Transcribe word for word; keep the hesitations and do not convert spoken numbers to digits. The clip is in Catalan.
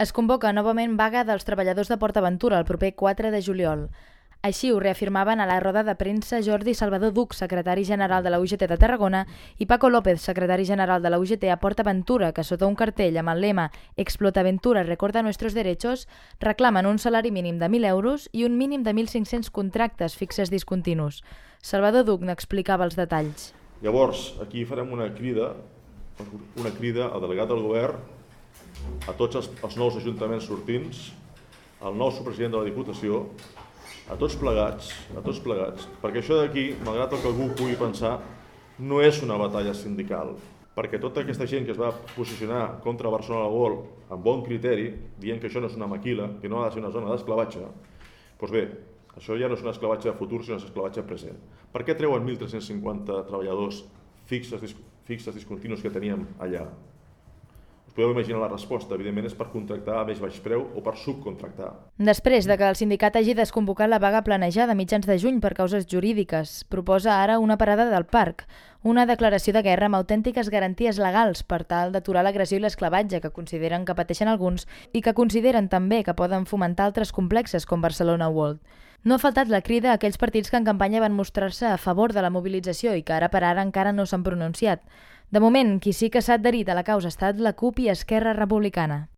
Es convoca novament vaga dels treballadors de PortAventura el proper quatre de juliol. Així ho reafirmaven a la roda de premsa Jordi Salvador Duch, secretari general de la U G T de Tarragona, i Paco López, secretari general de la U G T a PortAventura, que sota un cartell amb el lema «Explotaventura recorda nuestros derechos» reclamen un salari mínim de mil euros i un mínim de mil cinc-cents contractes fixes discontinus. Salvador Duch n'explicava els detalls. Llavors, aquí farem una crida, una crida al delegat del govern, a tots els, els nous ajuntaments sortints, al nou subpresident de la Diputació, a tots plegats, a tots plegats, perquè això d'aquí, malgrat el que algú pugui pensar, no és una batalla sindical, perquè tota aquesta gent que es va posicionar contra Barcelona World amb bon criteri, dient que això no és una maquila, que no ha de ser una zona d'esclavatge, doncs bé, això ja no és un esclavatge de futur, sinó un esclavatge present. Per què treuen mil tres-cents cinquanta treballadors fixes, fixes discontinus que teníem allà? Podeu imaginar la resposta, evidentment és per contractar a més baix preu o per subcontractar. Després de que el sindicat hagi desconvocat la vaga planejada a mitjans de juny per causes jurídiques, proposa ara una parada del parc, una declaració de guerra amb autèntiques garanties legals per tal d'aturar l'agressió i l'esclavatge que consideren que pateixen alguns i que consideren també que poden fomentar altres complexes com Barcelona World. No ha faltat la crida a aquells partits que en campanya van mostrar-se a favor de la mobilització i que ara per ara encara no s'han pronunciat. De moment, qui sí que s'ha adherit a la causa ha estat la CUP i Esquerra Republicana.